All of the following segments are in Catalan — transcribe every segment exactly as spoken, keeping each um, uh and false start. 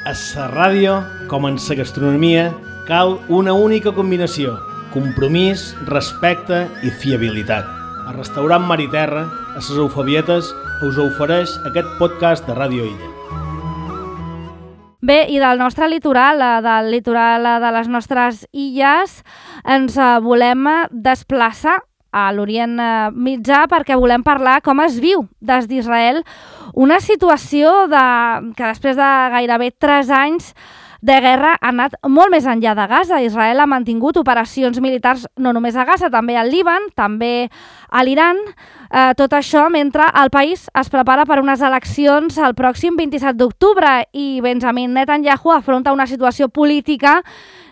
A la ràdio, com en la gastronomia, cal una única combinació: compromís, respecte i fiabilitat. El restaurant Mar i Terra, a les Eufabietes, us ofereix aquest podcast de Ràdio Illa. Bé, i del nostre litoral, del litoral de les nostres illes, ens volem desplaçar a l'Orient Mitjà perquè volem parlar com es viu des d'Israel una situació de, que després de gairebé tres anys de guerra ha anat molt més enllà de Gaza. Israel ha mantingut operacions militars no només a Gaza, també al Líban, també a l'Iran. Eh, tot això mentre el país es prepara per unes eleccions el pròxim vint-i-set d'octubre i Benjamin Netanyahu afronta una situació política,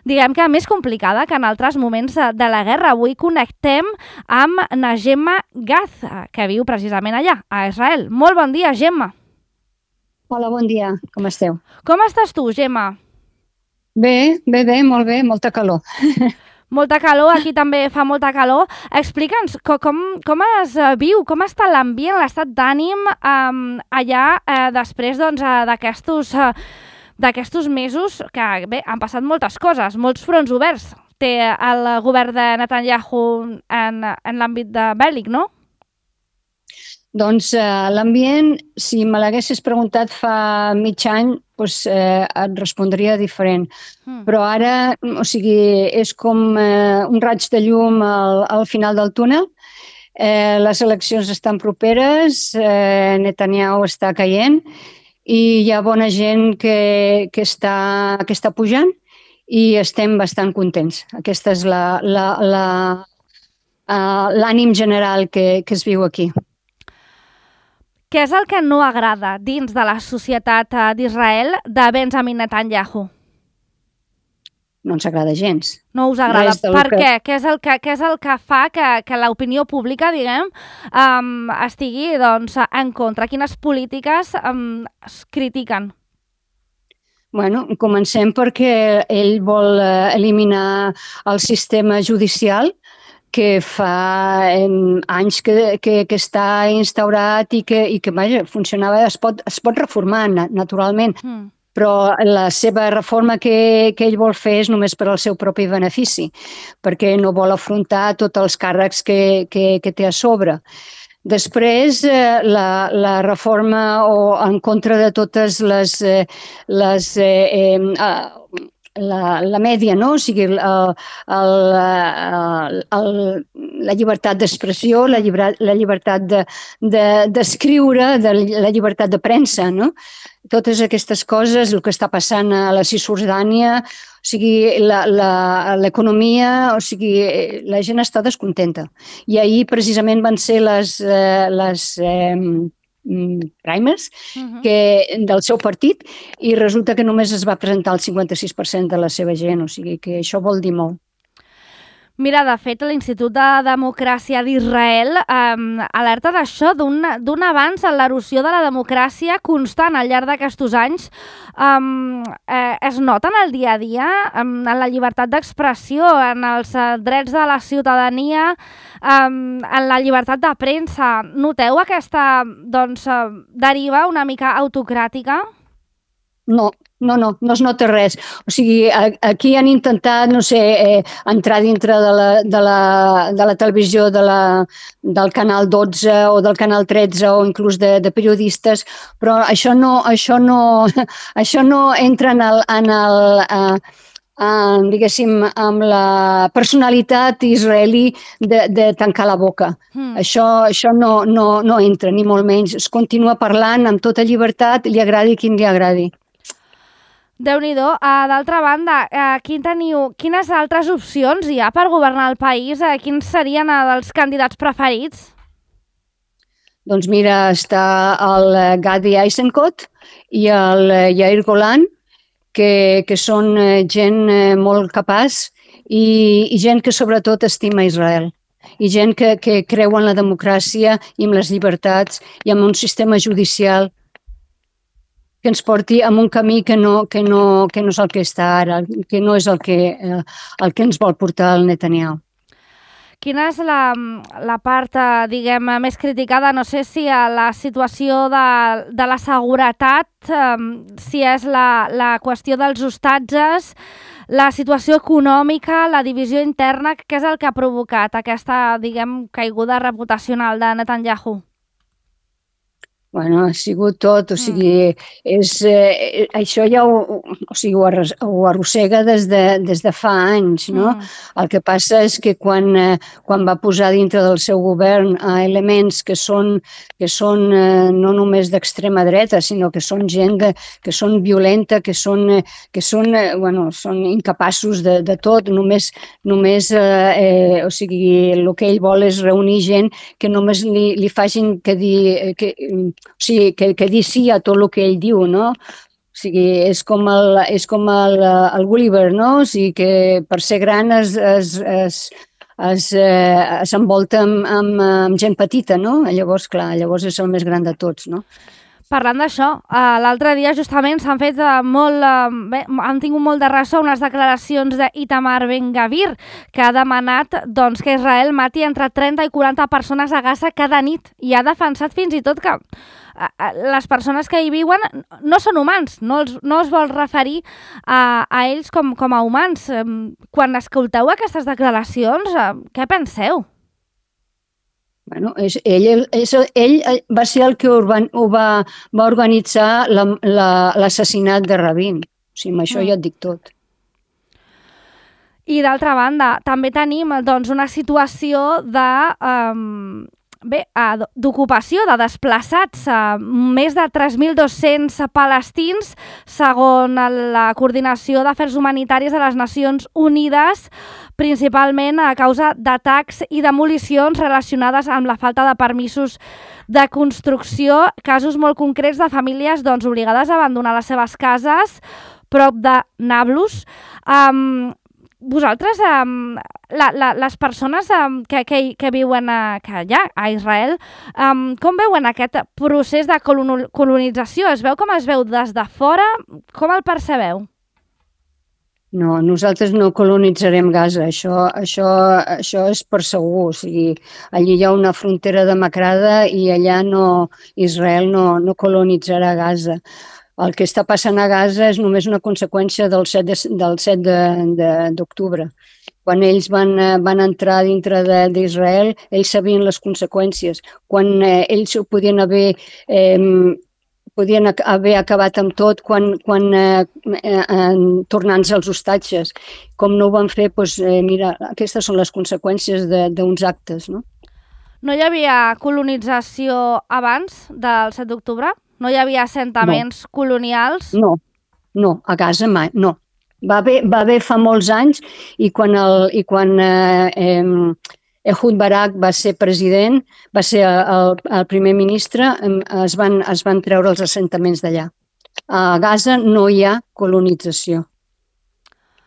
diguem que més complicada que en altres moments de la guerra. Avui connectem amb na Gemma Gaz, que viu precisament allà, a Israel. Molt bon dia, Gemma. Hola, bon dia. Com esteu? Com estàs tu, Gemma? Bé, bé, bé, molt bé, molta calor. Molta calor, aquí també fa molta calor. Explica'ns com, com es viu, com està l'ambient, l'estat d'ànim um, allà eh, després doncs, d'aquestos eh, d'aquestos mesos que bé, han passat moltes coses, molts fronts oberts. Té el govern de Netanyahu en, en l'àmbit de bèl·lic, no? Doncs eh, l'ambient, si me l'haguessis preguntat fa mig any, doncs, eh, et respondria diferent. Mm. Però ara, o sigui, és com eh, un raig de llum al, al final del túnel. Eh, les eleccions estan properes, eh, Netanyahu està caient i hi ha bona gent que, que, està, que està pujant i estem bastant contents. Aquesta és la, la, la, uh, l'ànim general que, que es viu aquí. Què és el que no agrada dins de la societat d'Israel de Benjamin Netanyahu? No ens agrada gens. No us agrada. Per que... què? Què és el que, què és el que fa que, que l'opinió pública, diguem, um, estigui doncs, en contra? Quines polítiques um, es critiquen? Bueno, comencem perquè ell vol eliminar el sistema judicial que fa anys que, que, que està instaurat i que, i que vaja, funcionava, es pot, es pot reformar naturalment, mm. però la seva reforma que, que ell vol fer és només per al seu propi benefici, perquè no vol afrontar tots els càrrecs que, que, que té a sobre. Després, eh, la, la reforma o en contra de totes les, eh, les eh, eh, La, la mèdia, no? O sigui, el, el, el, el, la llibertat d'expressió, la, llibre, la llibertat de, de, d'escriure, de, la llibertat de premsa, no? Totes aquestes coses, el que està passant a la Cisjordània, o sigui, la, la, l'economia, o sigui, la gent està descontenta. I ahir precisament van ser les... les eh, primers uh-huh. que, del seu partit i resulta que només es va presentar el cinquanta-sis per cent de la seva gent, o sigui que això vol dir molt. Mira, de fet, l'Institut de Democràcia d'Israel eh, alerta d'això, d'un, d'un avanç en l'erosió de la democràcia constant al llarg d'aquests anys. Eh, eh, es nota en el dia a dia, en la llibertat d'expressió, en els drets de la ciutadania, eh, en la llibertat de premsa. Noteu aquesta doncs, deriva una mica autocràtica? No, no, no, no es nota res. O sigui, aquí han intentat, no sé, eh, entrar dintre de la, de la, de la televisió de la, del canal dotze o del canal tretze o inclús de, de periodistes, però això no, això no, això no entra en el, en el eh, en, diguéssim, amb la personalitat israelí de, de tancar la boca. Mm. Això, això no, no, no entra, ni molt menys. Es continua parlant amb tota llibertat, li agradi qui li agradi. Déu-n'hi-do. Uh, d'altra banda, uh, quin teniu, quines altres opcions hi ha per governar el país? Uh, quins serien uh, els candidats preferits? Doncs mira, està el Gadi Eisenkot i el Yair Golan, que, que són gent molt capaç i, i gent que sobretot estima Israel. I gent que, que creu en la democràcia i en les llibertats i en un sistema judicial que ens porti en un camí que no, que no, que no és el que està ara, que no és el que, eh, el que ens vol portar el Netanyahu. Quina és la, la part, diguem, més criticada? No sé si a la situació de, de la seguretat, eh, si és la, la qüestió dels hostatges, la situació econòmica, la divisió interna, què és el que ha provocat aquesta, diguem, caiguda reputacional de Netanyahu? Bueno, ha sigut tot, o sigui, és, eh, això ja ho, o sigui, ho, arros, ho arrossega des de, des de fa anys, no? Mm. El que passa és que quan, eh, quan va posar dintre del seu govern eh, elements que són, que són eh, no només d'extrema dreta, sinó que són gent de, que són violenta, que són, eh, que són, eh, bueno, són incapaços de, de tot, només, només eh, eh, o sigui, el que ell vol és reunir gent que només li, li facin que dir... Que, o sigui, que, que dir sí a tot el que ell diu, no? O sigui, és com el, és com el, el Gulliver, no? O sigui, que per ser gran es, es, es, es, eh, s'envolta amb, amb, amb gent petita, no? Llavors, clar, llavors és el més gran de tots, no? Parlant d'això, uh, l'altre dia justament s'han fet uh, molt, uh, bé, han tingut molt de ressò unes declaracions d'Itamar Ben-Gvir, que ha demanat doncs, que Israel mati entre trenta i quaranta persones a Gaza cada nit i ha defensat fins i tot que uh, les persones que hi viuen no són humans, no, els, no es vol referir a, a ells com, com a humans. Um, quan escolteu aquestes declaracions, uh, què penseu? Bueno, és, ell, és, ell va ser el que urban, ho va, va organitzar l'assassinat de Rabin. O sigui, amb això mm. ja et dic tot. I d'altra banda, també tenim doncs, una situació de... Um, Bé, d'ocupació, de desplaçats, més de tres mil dos-cents palestins, segons la Coordinació d'Afers Humanitaris de les Nacions Unides, principalment a causa d'atacs i demolicions relacionades amb la falta de permisos de construcció, casos molt concrets de famílies doncs, obligades a abandonar les seves cases prop de Nablus. Um, Vosaltres, um, la, la, les persones um, que, que, que viuen a, que allà, a Israel, um, com veuen aquest procés de colonització? Es veu com es veu des de fora? Com el percebeu? No, nosaltres no colonitzarem Gaza, això, això, això és per segur. O sigui, allí hi ha una frontera demacrada i allà no, Israel no, no colonitzarà Gaza. El que està passant a Gaza és només una conseqüència del set d'octubre. Quan ells van, van entrar dintre d'Israel, ells sabien les conseqüències. Quan eh, ells ho podien haver, eh, podien haver acabat amb tot quan, quan eh, eh, tornant-se als hostatges. Com no ho van fer, doncs, eh, mira, aquestes són les conseqüències d'uns actes, no? No hi havia colonització abans del set d'octubre? No hi havia assentaments no. colonials? No, no, a Gaza mai, no. Va haver, va haver fa molts anys i quan, el, i quan eh, eh, Ehud Barak va ser president, va ser el, el primer ministre, es van, es van treure els assentaments d'allà. A Gaza no hi ha colonització.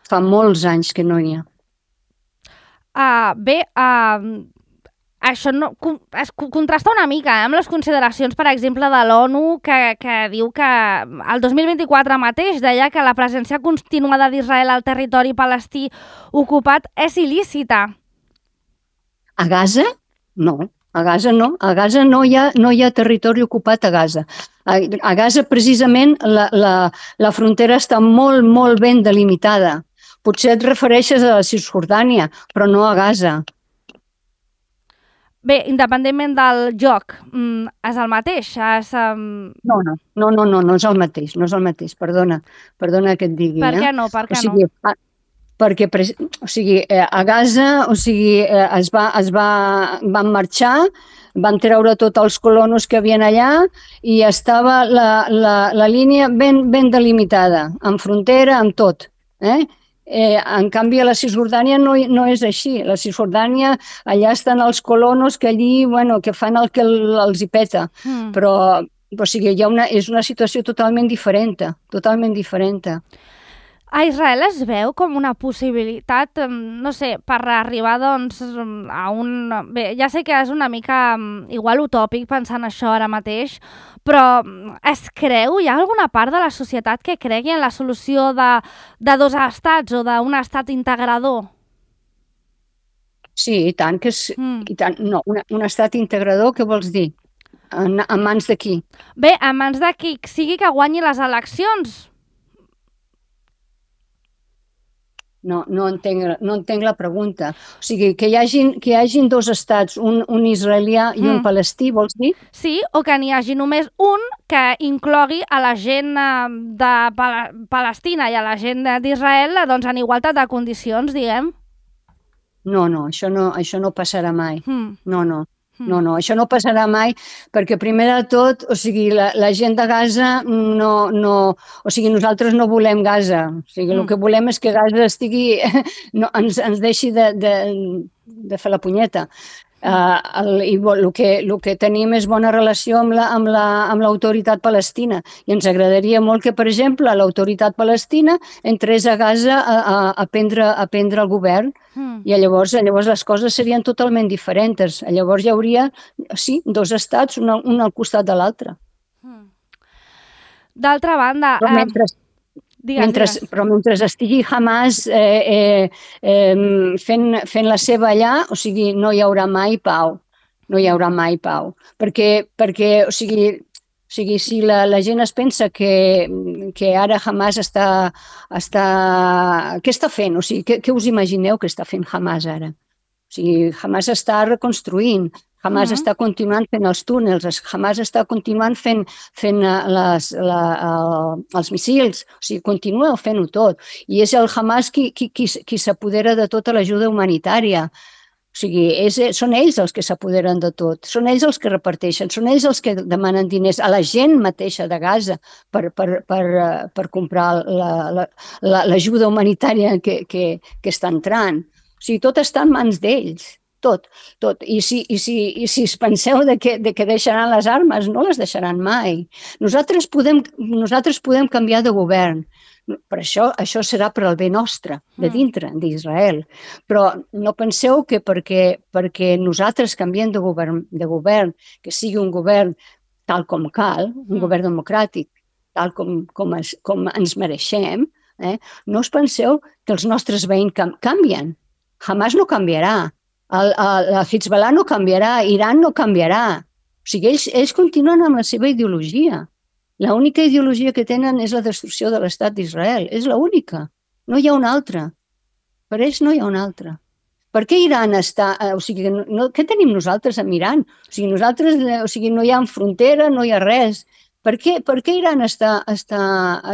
Fa molts anys que no hi ha. Uh, bé, uh, això no, es contrasta una mica eh, amb les consideracions, per exemple, de l'ONU, que, que diu que el dos mil vint-i-quatre mateix deia que la presència continuada d'Israel al territori palestí ocupat és il·lícita. A Gaza? No. A Gaza no. A Gaza no hi ha, no hi ha territori ocupat a Gaza. A, a Gaza, precisament, la, la, la frontera està molt, molt ben delimitada. Potser et refereixes a la Cisjordània, però no a Gaza. Bé, independentment del joc, és el mateix? És, um... No, no, no, no, no, no és el mateix, no és el mateix, perdona, perdona que et digui. Per què no, per què o sigui, no? Perquè, o sigui, a Gaza, o sigui, es va, es va, van marxar, van treure tots els colonos que havien allà i estava la, la, la línia ben, ben delimitada, amb frontera, amb tot, eh? Eh, en canvi, a la Cisjordània no, no és així. A la Cisjordània, allà estan els colonos que allí, bueno, que fan el que el, els hi peta. Mm. Però, o sigui, hi ha una, és una situació totalment diferent, totalment diferent. A Israel es veu com una possibilitat, no sé, per arribar doncs a un... Bé, ja sé que és una mica igual utòpic pensant això ara mateix, però es creu, hi ha alguna part de la societat que cregui en la solució de, de dos estats o d'un estat integrador? Sí, i tant, que és... Mm. I tant, no, un, un estat integrador, què vols dir? En, en mans de qui? Bé, en mans de qui sigui que guanyi les eleccions. No, no, entenc, no entenc la pregunta. O sigui, que hi hagin, que hi hagin dos estats, un, un israelià i un Mm. palestí, vols dir? Sí, o que n'hi hagi només un que inclogui a la gent eh, de Pala- Palestina i a la gent de- d'Israel doncs, en igualtat de condicions, diguem. No, no, això no, això no passarà mai. Mm. No, no. Mm. No, no, això no passarà mai perquè primer de tot, o sigui, la, la gent de Gaza no, no, o sigui, nosaltres no volem Gaza, o sigui, Mm. el que volem és que Gaza estigui, no, ens, ens deixi de, de, de fer la punyeta. Uh, el, i bo- el, que, el que tenim és bona relació amb la, amb la, amb l'autoritat palestina i ens agradaria molt que, per exemple, l'autoritat palestina entrés a Gaza a, a, a, prendre, a prendre el govern. Mm. I llavors, llavors les coses serien totalment diferents. Llavors hi hauria, sí, dos estats, un, al- un al costat de l'altre. Mm. D'altra banda... Però, eh, mentre, digues, mentre, digues. però mentre estigui Hamas eh, eh, eh, fent, fent la seva allà, o sigui, no hi haurà mai pau. No hi haurà mai pau. Perquè, perquè o sigui, o sigui si la, la gent es pensa que, que ara Hamas està, està... Què està fent? O sigui, què, què us imagineu que està fent Hamas ara? O sigui, Hamas està reconstruint, Hamas Mhm. està continuant fent els túnels, es- Hamas està continuant fent, fent eh, les, la, el, els missils, o sigui, continua fent-ho tot. I és el Hamas qui, qui, qui, qui s'apodera de tota l'ajuda humanitària. O sigui, és, són ells els que s'apoderen de tot, són ells els que reparteixen, són ells els que demanen diners a la gent mateixa de Gaza per, per, per, eh, per comprar la- la- la- l'ajuda humanitària que, que, que està entrant. O sigui, tot està en mans d'ells, tot, tot. I si, i si, i si es penseu de que, de que deixaran les armes, no les deixaran mai. Nosaltres podem, nosaltres podem canviar de govern, per això, això serà per al bé nostre, de dintre d'Israel. Però no penseu que perquè, perquè nosaltres canviem de govern, de govern, que sigui un govern tal com cal, un Mm. govern democràtic, tal com, com, es, com ens mereixem, eh? No us penseu que els nostres veïns cam canvien. Hamas no canviarà, el, el, el Hezbollah no canviarà, Iran no canviarà. O sigui, ells, ells continuen amb la seva ideologia. L'única ideologia que tenen és la destrucció de l'estat d'Israel. És l'única. No hi ha una altra. Per ells no hi ha una altra. Per què Iran està... eh, O sigui, no, no, què tenim nosaltres amb Iran? O sigui, nosaltres, eh, o sigui, no hi ha frontera, no hi ha res. Per què, per què Iran està, està,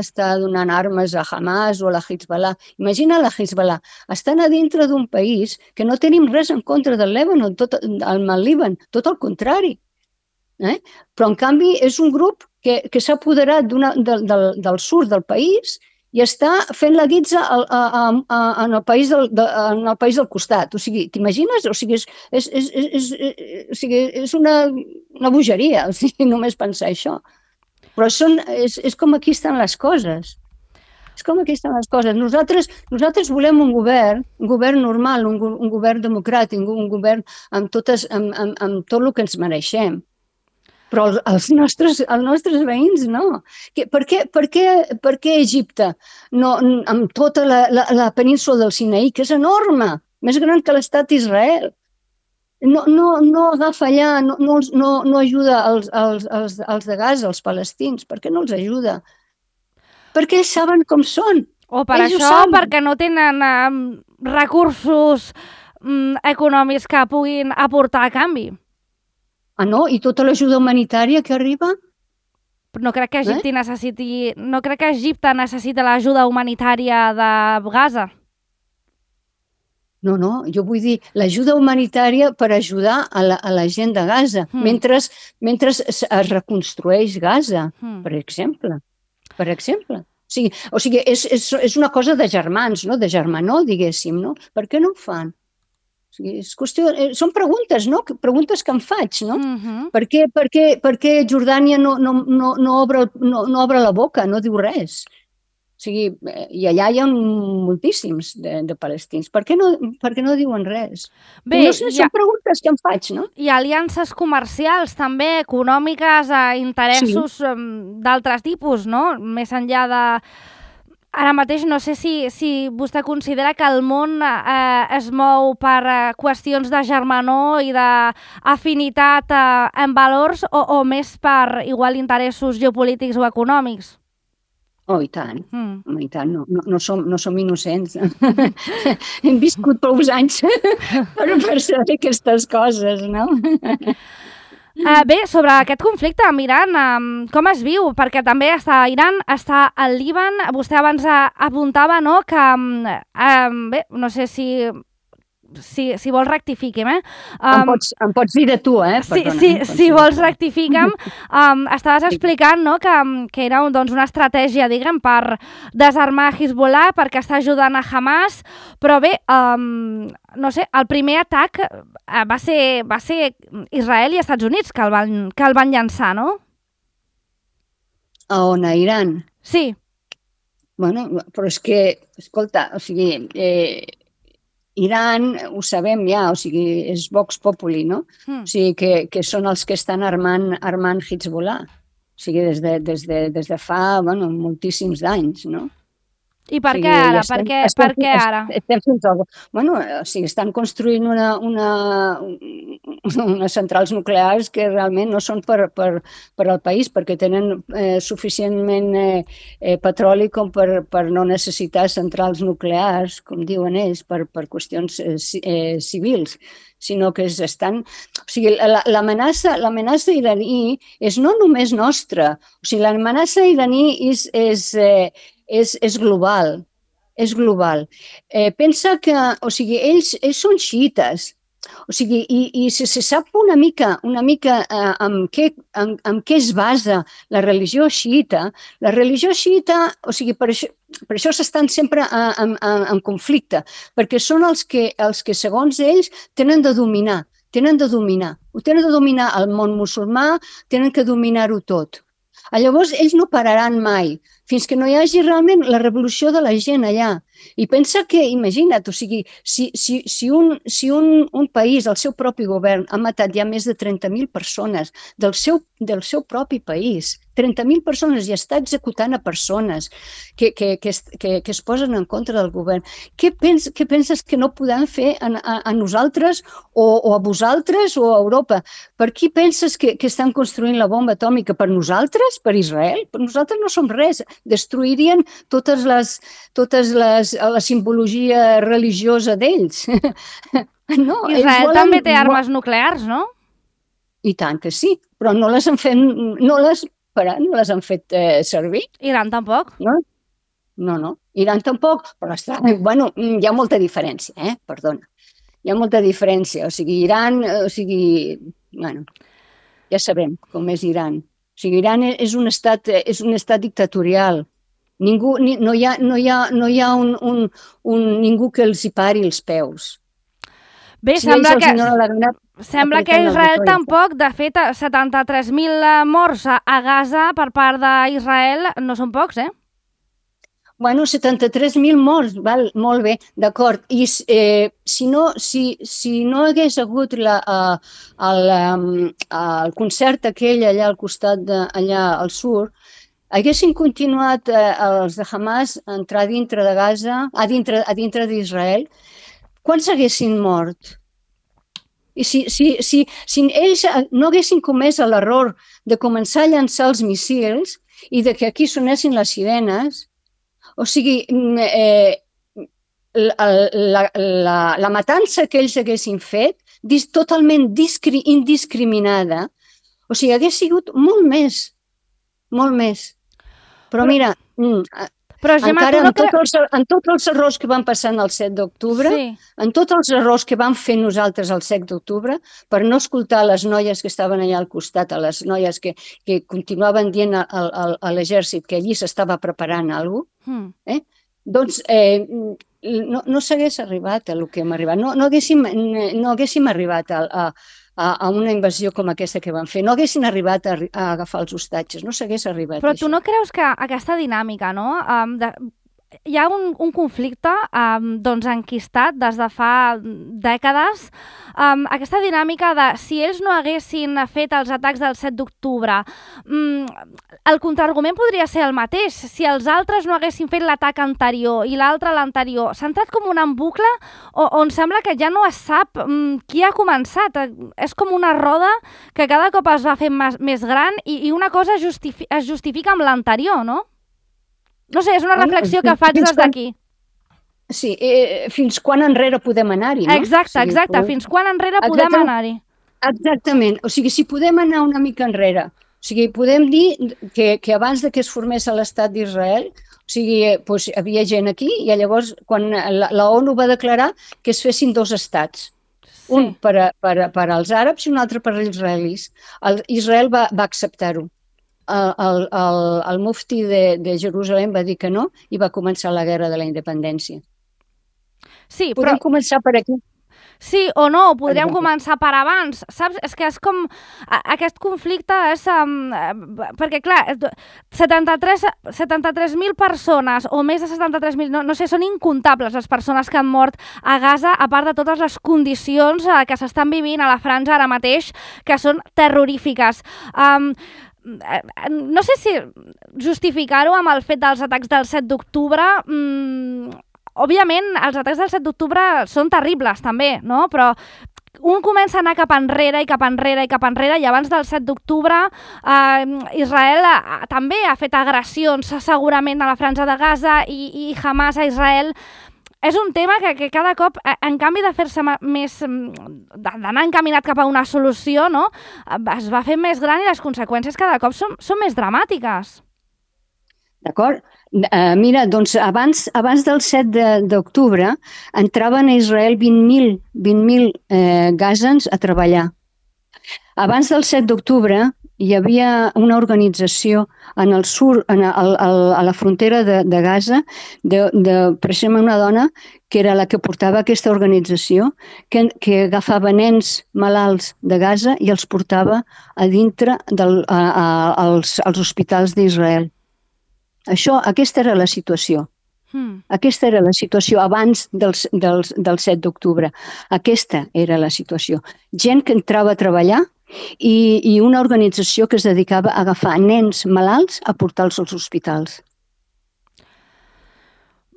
està donant armes a Hamas o a la Hezbollah? Imagina la Hezbollah. Estan a dintre d'un país que no tenim res en contra del Líban, tot, el Líban, tot el contrari. Eh? Però, en canvi, és un grup que, que s'ha apoderat del, del, del sud del país i està fent la guitza al, a, a, a, en, el país del, de, en el país del costat. O sigui, t'imagines? O sigui, és, és, és, és, és, o sigui, és una, una bogeria, o sigui, només pensar això. Però són, és, és com aquí estan les coses. És com aquí estan les coses. Nosaltres, nosaltres volem un govern, un govern normal, un, un govern democràtic, un govern amb, totes, amb, amb, amb tot el que ens mereixem. Però els, els, nostres, els nostres veïns no. Que, per, què, per, què, per què Egipte, no, amb tota la, la, la península del Sinaí, que és enorme, més gran que l'estat d'Israel, no, no, no agafa allà, no, no, no, no ajuda als, als, als, als de Gaza, els palestins? Per què no els ajuda? Perquè ells saben com són. O per Ells ho això, saben. perquè no tenen um, recursos um, econòmics que puguin aportar a canvi. Ah, no? I tota l'ajuda humanitària que arriba? No crec que Egipte necessiti, no crec que Egipte necessita l'ajuda humanitària de Gaza. No, no, jo vull dir l'ajuda humanitària per ajudar a la, a la gent de Gaza, Mm. mentre, mentre es, es reconstrueix Gaza, Mm. per exemple. Per exemple. O sigui, o sigui és, és, és una cosa de germans, no? De germanor, diguéssim, no? Per què no ho fan? O sigui, és qüestió, eh, són preguntes, no? Preguntes que em faig, no? Mm-hmm. Per què, per què, per què Jordània no, no, no, no, obre, no, no obre la boca, no diu res? O sigui, eh, i allà hi ha moltíssims de, de palestins. Per què no, per què no diuen res? Bé, no sé, hi ha, són preguntes que em faig, no? hi ha aliances comercials també, econòmiques, a interessos sí. d'altres tipus, no? Més enllà de ara mateix no sé si, si vostè considera que el món eh, es mou per eh, qüestions de germanor i d'afinitat eh, en valors o, o més per igual interessos geopolítics o econòmics? Oh, i tant, mm. oh, i tant, no, no, no, som, no som innocents. Hem viscut prou anys per, per saber aquestes coses, no? Uh, bé, sobre aquest conflicte amb Iran, um, com es viu? Perquè també està a Iran, està al Líban. Vostè abans uh, apuntava, no?, que, um, um, bé, no sé si... Si, si vols rectifiquem, eh? Um, em, pots, em pots dir de tu, eh? Perdona, si, si, si vols rectifiquem, um, estaves explicant, no?, que, que era doncs, una estratègia, diguem, per desarmar Hezbollah, perquè està ajudant a Hamas, però bé, um, no sé, el primer atac uh, va ser, va ser Israel i Estats Units que el van, que el van llançar, no? A on? A Iran? Sí. Bueno, però és que, escolta, o sigui... Eh, Iran, ho sabem ja, o sigui, és Vox Populi, no? Mm. O sigui, que, que són els que estan armant, armant Hezbollah. O sigui, des de, des de, des de fa, bueno, moltíssims d'anys, no? I per o sigui, què ara? estem, per què, estem, per què ara? Estem fins al... Bueno, o sigui, estan construint una, una, unes centrals nuclears que realment no són per, per, per al país, perquè tenen eh, suficientment eh, eh, petroli com per, per no necessitar centrals nuclears, com diuen ells, per, per qüestions eh, eh, civils, sinó que estan... O sigui, l'amenaça l'amenaça iraní és no només nostra, o sigui, l'amenaça iraní és... és eh, És, és global, és global. Eh, pensa que, o sigui, ells, ells són xiites, o sigui, i, i si se sap una mica, una mica eh, amb, què, amb, amb què es basa la religió xiita, la religió xiita, o sigui, per això, per això s'estan sempre en, en, en conflicte, perquè són els que, els que, segons ells, tenen de dominar, tenen de dominar, ho tenen de dominar el món musulmà, tenen que dominar-ho tot. Llavors, ells no pararan mai, fins que no hi hagi realment la revolució de la gent allà. I pensa que, imagina't, o sigui, si, si, si, un, si un, un país, el seu propi govern, ha matat ja més de trenta mil persones del seu, del seu propi país, trenta mil persones i està executant a persones que, que, que, es, que, que es posen en contra del govern, què, pens, què penses que no podem fer a, a, a nosaltres o, o a vosaltres o a Europa? Per qui penses que, que estan construint la bomba atòmica? Per nosaltres? Per Israel? Per nosaltres no som res. Destruirien totes les, totes les, la simbologia religiosa d'ells. No, Israel volen... també té armes nuclears, no? I tant que sí, però no les han fet, no les, però, no les han fet eh, servir. Iran tampoc? No, no, no. Iran tampoc, però està, bueno, hi ha molta diferència, eh? Perdona. Hi ha molta diferència. O sigui, Iran, o sigui, bueno, ja sabem com és Iran. O sigui, Iran és un estat, és un estat dictatorial. Ningú, ni, no hi ha, no hi ha, no hi ha un, un, un, ningú que els hi pari els peus. Bé, si sembla que, gana, sembla que Israel tampoc, de fet, setanta-tres mil morts a Gaza per part d'Israel no són pocs, eh? Bueno, setanta-tres mil morts, val, molt bé, d'acord. I eh, si, no, si, si no hagués hagut la, uh, el, um, el concert aquell allà al costat, de, allà al sud, haguessin continuat eh, els de Hamas a entrar dintre de Gaza, a dintre, a dintre d'Israel, quants haguessin mort? I si, si, si, si ells no haguessin comès l'error de començar a llançar els míssils i de que aquí sonessin les sirenes, o sigui, eh, la, la, la, la matança que ells haguessin fet, dis, totalment discri, indiscriminada, o sigui, hagués sigut molt més, molt més. Però, però mira... Mm, Però, Gemma, encara no en, tot els, en tots els errors que van passar el set d'octubre, sí. En tots els errors que vam fer nosaltres el set d'octubre, per no escoltar les noies que estaven allà al costat, a les noies que, que continuaven dient a, a, a l'exèrcit que allí s'estava preparant alguna cosa, mm. eh? Doncs eh, no, no s'hagués arribat a el que hem arribat. No, no, haguéssim, no haguéssim arribat a, a, a una invasió com aquesta que van fer. No haguessin arribat a, a agafar els hostatges, no s'hagués arribat. Però a tu això. No creus que aquesta dinàmica, no? Um, de, hi ha un, un conflicte um, doncs enquistat des de fa dècades. Um, aquesta dinàmica de si ells no haguessin fet els atacs del set d'octubre, um, el contraargument podria ser el mateix. Si els altres no haguessin fet l'atac anterior i l'altre l'anterior, s'ha entrat com un embucle on sembla que ja no es sap um, qui ha començat. És com una roda que cada cop es va fent més, més gran i, i una cosa justifi- es justifica amb l'anterior, no? No sé, és una reflexió que faig des d'aquí. Sí, eh, fins quan enrere podem anar-hi, no? Exacte, o sigui, exacte, podem... fins quan enrere podem Exacte... anar-hi. Exactament, o sigui, si podem anar una mica enrere, o sigui, podem dir que, que abans de que es formés l'estat d'Israel, o sigui, doncs, havia gent aquí i llavors quan la, la ONU va declarar que es fessin dos estats, sí. un per, a, per, a, per als àrabs i un altre per als israelis. El, Israel va, va acceptar-ho. El, el, el, el mufti de, de Jerusalem va dir que no i va començar la guerra de la independència. Sí, Podem però... començar per aquí. Sí o no, podríem Exacte. començar per abans, saps? És que és com... Aquest conflicte és... Um, perquè, clar, setanta-tres mil persones, o més de setanta-tres mil, no, no sé, són incomptables les persones que han mort a Gaza, a part de totes les condicions uh, que s'estan vivint a la franja ara mateix, que són terrorífiques. Um, no sé si justificar-ho amb el fet dels atacs del set d'octubre... Mmm, òbviament, els atacs del set d'octubre són terribles, també, no? Però un comença a anar cap enrere i cap enrere i cap enrere i abans del set d'octubre eh, Israel eh, també ha fet agressions segurament a la franja de Gaza i, i Hamas a Israel. És un tema que, que cada cop, en canvi de fer-se més, d'anar encaminat cap a una solució, no? Es va fer més gran i les conseqüències cada cop són, són més dramàtiques. D'acord? Uh, mira, doncs abans, abans del set d'octubre entraven a Israel vint mil eh, gazans a treballar. Abans del set d'octubre hi havia una organització en el sur, en el, el, a la frontera de, de Gaza, de, de, precisament una dona que era la que portava aquesta organització, que, que agafava nens malalts de Gaza i els portava a dintre del, a, a, als, als hospitals d'Israel. Això, aquesta era la situació. Hmm. Aquesta era la situació abans del, del, del set d'octubre. Aquesta era la situació. Gent que entrava a treballar i, i una organització que es dedicava a agafar nens malalts a portar-los als hospitals.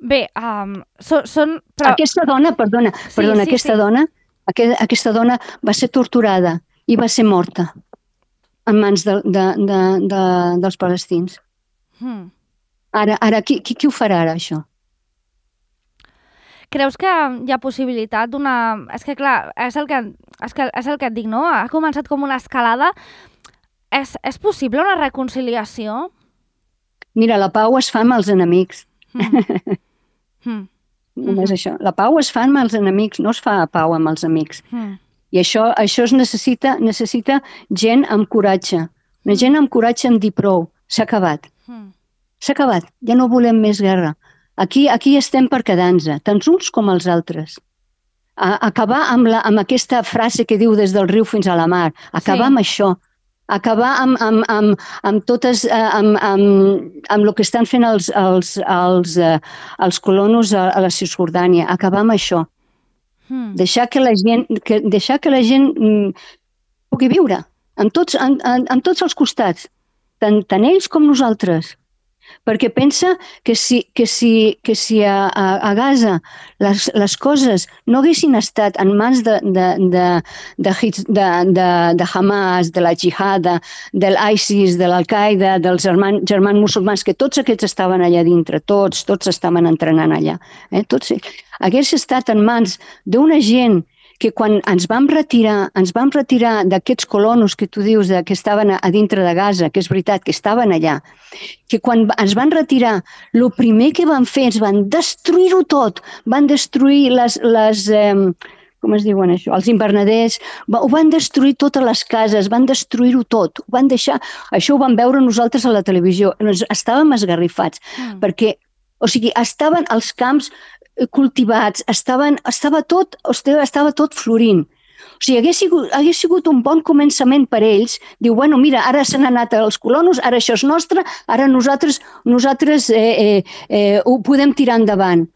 Bé, um, so, són... Però... Aquesta dona, perdona, sí, perdona sí, aquesta, sí. Dona, aquest, aquesta dona va ser torturada i va ser morta en mans de, de, de, de, dels palestins. Hmm. Ara, ara qui, qui, qui ho farà ara, això? Creus que hi ha possibilitat d'una... És que, clar, és el que, és que, és el que et dic, no? Ha començat com una escalada. És, és possible una reconciliació? Mira, la pau es fa amb els enemics. Mm. mm. Només mm-hmm. això. La pau es fa amb els enemics, no es fa a pau amb els amics. Mm. I això, això es necessita, necessita gent amb coratge. Una gent amb coratge en dir prou. S'ha acabat. Mm. S'ha acabat, ja no volem més guerra. Aquí, aquí estem per quedar-nos, tant uns com els altres. A, acabar amb, la, amb aquesta frase que diu des del riu fins a la mar. Acabar sí. amb això. Acabar amb, amb, amb, amb totes, amb, amb, amb el que estan fent els, els, els, els colonos a, a la Cisjordània. Acabar amb això. Hmm. Deixar que la gent, que, deixar que la gent mm, pugui viure en tots, en, en, en tots els costats, tant, tant ells com nosaltres. Perquè pensa que si, que si, que si a, a, a Gaza les, les coses no haguessin estat en mans de, de, de, de, de, de, de Hamas, de la Jihada, de l'ISIS, de l'Al-Qaeda, dels germans, germans musulmans, que tots aquests estaven allà dintre, tots, tots estaven entrenant allà. Eh? Tots, hagués estat en mans d'una gent que quan ens vam retirar, ens vam retirar d'aquests colonos que tu dius de, que estaven a, a dintre de Gaza, que és veritat que estaven allà, que quan ens van retirar, el primer que van fer és van destruir-ho tot, van destruir les, les eh, com es diuen això, els invernaders, ho van destruir totes les cases, van destruir-ho tot, ho van deixar, això ho vam veure nosaltres a la televisió, estàvem esgarrifats, mm. perquè, o sigui, estaven els camps cultivats, estaven, estava, tot, estava tot florint. O sigui, hagués sigut, hagués sigut un bon començament per ells. Diu, bueno, mira, ara se n'han anat els colonos, ara això és nostre, ara nosaltres, nosaltres eh, eh, eh, ho podem tirar endavant.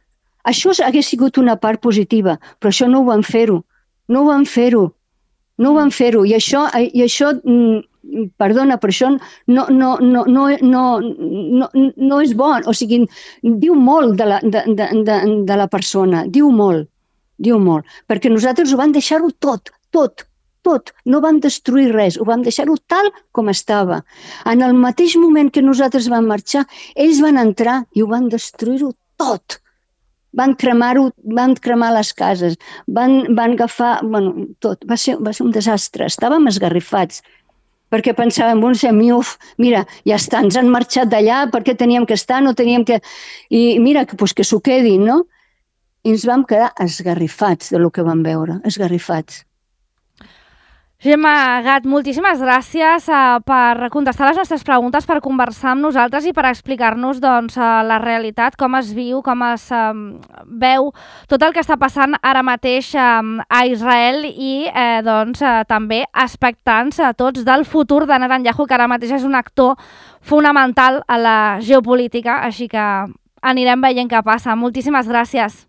Això hagués sigut una part positiva, però això no ho van fer-ho. No ho van fer-ho. No ho van fer-ho. I això, i això perdona, però això no, no, no, no, no, no, no és bo. O sigui, diu molt de la, de, de, de, de la persona, diu molt, diu molt. Perquè nosaltres ho vam deixar-ho tot, tot, tot. No vam destruir res, ho vam deixar-ho tal com estava. En el mateix moment que nosaltres vam marxar, ells van entrar i ho van destruir-ho tot. Van cremar-ho, van cremar les cases, van, van agafar, bueno, tot. Va ser, va ser un desastre. Estàvem esgarrifats. Perquè pensàvem, bon, uf, mira, ja està, ens han marxat d'allà, per què teníem que estar, no teníem que... I mira, que, pues, que s'ho quedin, no? I ens vam quedar esgarrifats de lo que vam veure, esgarrifats. Gemma Gat, moltíssimes gràcies uh, per contestar les nostres preguntes, per conversar amb nosaltres i per explicar-nos doncs, uh, la realitat, com es viu, com es uh, veu tot el que està passant ara mateix uh, a Israel i uh, doncs, uh, també expectants a uh, tots del futur de Netanyahu, que ara mateix és un actor fonamental a la geopolítica, així que anirem veient què passa. Moltíssimes gràcies.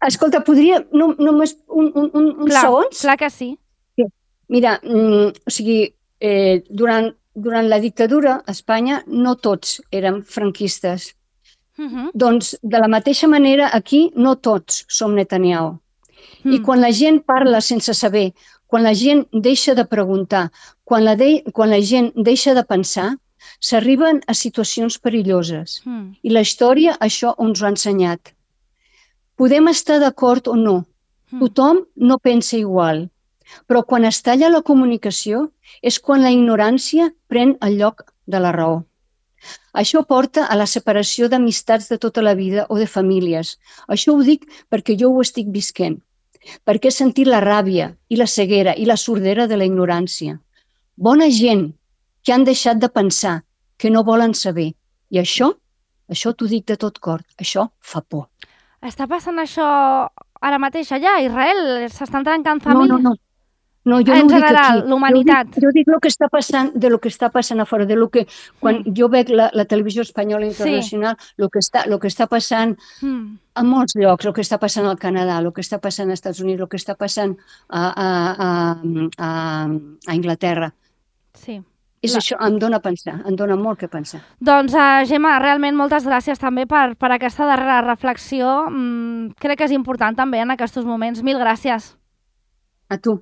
Escolta, podria... No, només un, un, un, uns clar, segons? Clar que sí. Mira, mm, o sigui, eh, durant, durant la dictadura a Espanya no tots érem franquistes. Uh-huh. Doncs de la mateixa manera aquí no tots som Netanyahu. Mm. I quan la gent parla sense saber, quan la gent deixa de preguntar, quan la, de, quan la gent deixa de pensar, s'arriben a situacions perilloses. Mm. I la història això ens ho ha ensenyat. Podem estar d'acord o no. Mm. Tothom no pensa igual. Però quan es talla la comunicació és quan la ignorància pren el lloc de la raó. Això porta a la separació d'amistats de tota la vida o de famílies. Això ho dic perquè jo ho estic visquent, perquè he sentit la ràbia i la ceguera i la sordera de la ignorància. Bona gent que han deixat de pensar, que no volen saber. I això, això t'ho dic de tot cor, això fa por. Està passant això ara mateix allà, a Israel? S'estan trencant famílies? No, no, no. No, jo en no ho general, dic aquí. l'humanitat. Jo dic, jo dic lo que està passant, de lo que està passant a fora, de lo que, quan mm. jo veig la, la televisió espanyola internacional, sí. lo, que està, lo que està passant mm. a molts llocs, el que està passant al Canadà, el que està passant als Estats Units, el que està passant a, a, a, a, a Anglaterra. Sí. És la... això, em dóna a pensar, em dóna molt que pensar. Doncs, uh, Gemma, realment moltes gràcies també per, per aquesta darrera reflexió. Mm, crec que és important també en aquests moments. Mil gràcies. A tu.